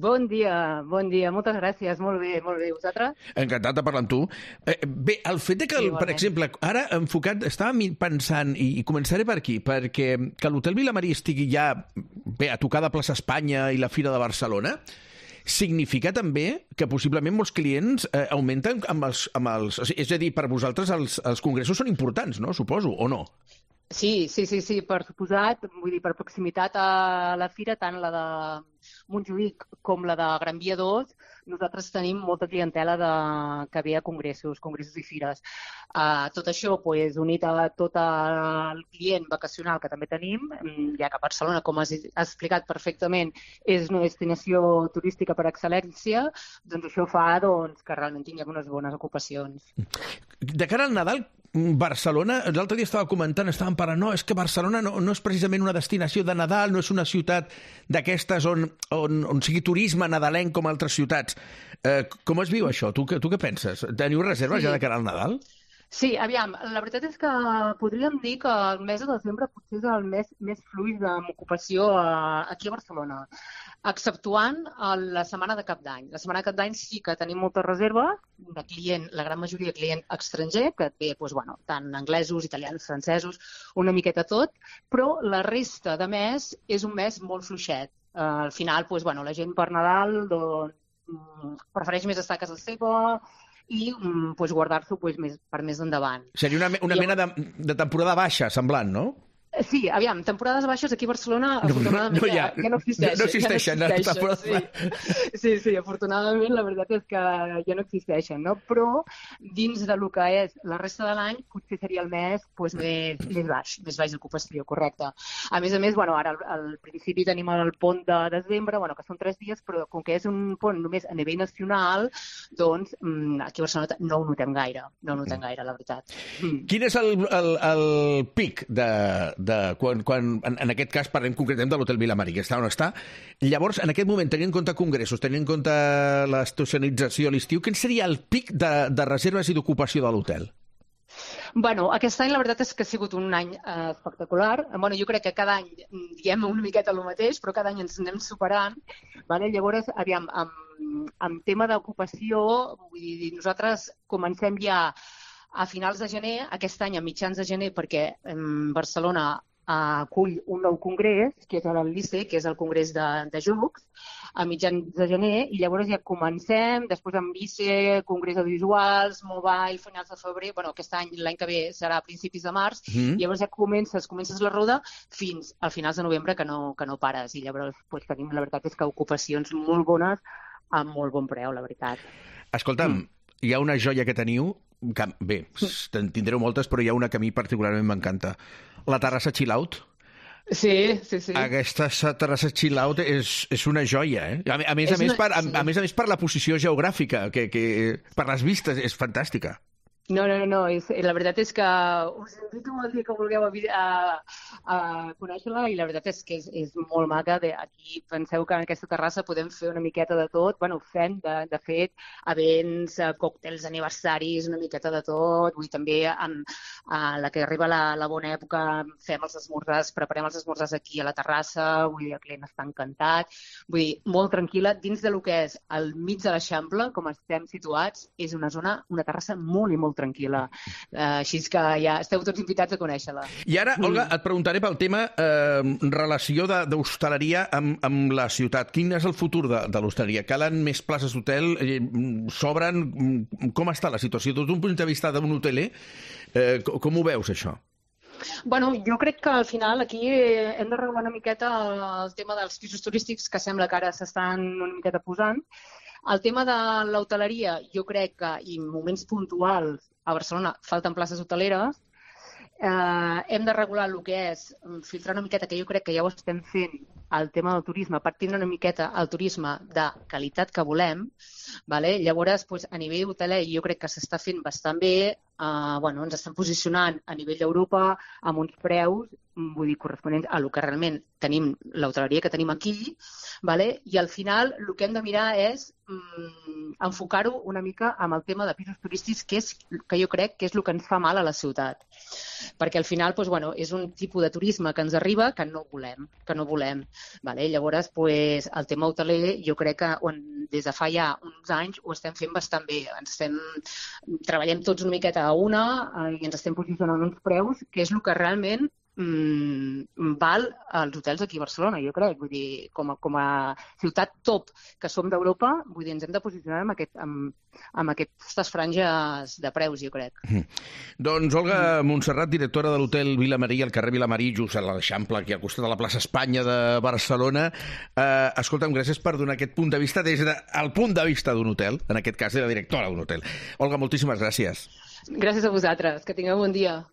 Bon dia, moltes gràcies, molt bé, vosaltres? Encantat de parlar amb tu. Bé, el fet que, per exemple, ara enfocat, estava pensant, i començaré per aquí, perquè que l'Hotel Vilamarí estigui ja bé a tocar de plaça Espanya i la Fira de Barcelona, significa també que possiblement molts clients augmenten amb els... És a dir, per vosaltres els congressos són importants, no? Suposo, o no? Sí, per suposat, vull dir, per proximitat a la fira, tant la de Montjuïc com la de Gran Via 2, nosaltres tenim molta clientela que ve a congressos i fires. Tot això, unit a tot el client vacacional que també tenim, ja que Barcelona, com has explicat perfectament, és una destinació turística per excel·lència, doncs això fa que realment tinguem unes bones ocupacions. De cara al Nadal, Barcelona, l'altre dia estàvem parlant, no, és que Barcelona no és precisament una destinació de Nadal, no és una ciutat d'aquestes on sigui turisme nadalenc com altres ciutats. Com es viu això? Tu què penses? Teniu reserves ja de cara al Nadal? Sí, aviam, la veritat és que podríem dir que el mes de desembre potser és el mes més fluix d'ocupació aquí a Barcelona, exceptuant la setmana de Cap d'Any. La setmana de Cap d'any sí que tenim moltes reserves de client, la gran majoria de client estranger, que ve tant anglesos, italians, francesos, una miqueta tot, però la resta de mes és un mes molt fluixet. Al final, la gent per Nadal prefereix més estar a casa seva i guardar-s'ho per més endavant. Seria una mena de temporada baixa, semblant, no? Sí, aviam, temporades baixes aquí a Barcelona afortunadament ja no existeixen. No existeixen. Sí, afortunadament la veritat és que ja no existeixen, no? Però dins de lo que és la resta de l'any potser seria el mes més baix d'ocupació, correcte. A més, ara al principi tenim el pont de desembre, que són 3 dies, però com que és un pont només a nivell nacional, doncs aquí a Barcelona no ho notem gaire, la veritat. Quin és el pic quan en aquest cas parlem concretament de l'Hotel Vilamarí, que està on està. Llavors, en aquest moment, tenint en compte congressos, tenint en compte l'estacionalització a l'estiu, quin seria el pic de reserves i d'ocupació de l'hotel? Aquest any la veritat és que ha sigut un any espectacular. Jo crec que cada any diem una miqueta el mateix, però cada any ens anem superant. Llavors, aviam, amb tema d'ocupació, vull dir, nosaltres comencem ja a finals de gener, aquest any a mitjans de gener, perquè Barcelona acull un nou congrés, que és el LICE, que és el congrés de jocs, a mitjans de gener, i llavors ja comencem, després amb LICE, congrés audiovisuals, mobile, finals de febrer, aquest any, l'any que ve, serà a principis de març, i llavors ja comences la roda fins a finals de novembre, que no pares, i llavors tenim, la veritat és que ocupacions molt bones, amb molt bon preu, la veritat. Escolta'm, hi ha una joia que teniu, bé, en tindreu moltes, però hi ha una que a mi particularment m'encanta. La terrassa chill-out. Sí. Aquesta terrassa chill-out és una joia, eh? A més per la posició geogràfica, que per les vistes és fantàstica. No, la veritat és que us invito el dia que vulgueu a conèixer-la i la veritat és que és molt maca. Aquí penseu que en aquesta terrassa podem fer una miqueta de tot. Fem, de fet, events, còctels, aniversaris, una miqueta de tot. Vull dir, també a la que arriba la bona època fem els esmorzars, preparem els esmorzars aquí a la terrassa. Vull dir, el client està encantat. Vull dir, molt tranquil·la. Dins de lo que és al mig de l'Eixample, com estem situats, és una terrassa molt i molt tranquil·la. Així que ja esteu tots invitats a conèixer-la. I ara, Olga, et preguntaré pel tema relació d'hostaleria amb la ciutat. Quin és el futur de l'hostaleria? Calen més places d'hotel? S'obren? Com està la situació? Des d'un punt de vista d'un hoteler, com ho veus, això? Jo crec que al final aquí hem de regular una miqueta el tema dels pisos turístics, que sembla que ara s'estan una miqueta posant. El tema de l'hoteleria, jo crec que en moments puntuals a Barcelona falten places hoteleres. Hem de regular el que és filtrar una miqueta, que jo crec que ja ho estem fent, el tema del turisme, per tindre una miqueta el turisme de qualitat que volem. Llavors, a nivell hoteler, jo crec que s'està fent bastant bé. Ens estan posicionant a nivell d'Europa amb uns preus, vull dir, corresponents a el que realment tenim, l'hoteleria que tenim aquí, i al final el que hem de mirar és enfocar-ho una mica amb el tema de pisos turístics, que jo crec que és el que ens fa mal a la ciutat. Perquè al final és un tipus de turisme que ens arriba que no volem. Vale? Llavors, el tema hoteler jo crec que des de fa ja uns anys ho estem fent bastant bé. Treballem tots una miqueta a una i ens estem posicionant uns preus, que és el que realment val als hotels aquí a Barcelona, jo crec. Vull dir, com a ciutat top que som d'Europa, vull dir, ens hem de posicionar amb aquestes franges de preus, jo crec. Doncs Olga Montserrat, directora de l'hotel Vilamarí, al carrer Vilamarí, just a l'Eixample, aquí al costat de la plaça Espanya de Barcelona. Escolta'm, gràcies per donar aquest punt de vista des del punt de vista d'un hotel, en aquest cas de la directora d'un hotel. Olga, moltíssimes gràcies. Gràcies a vosaltres, que tingueu bon dia.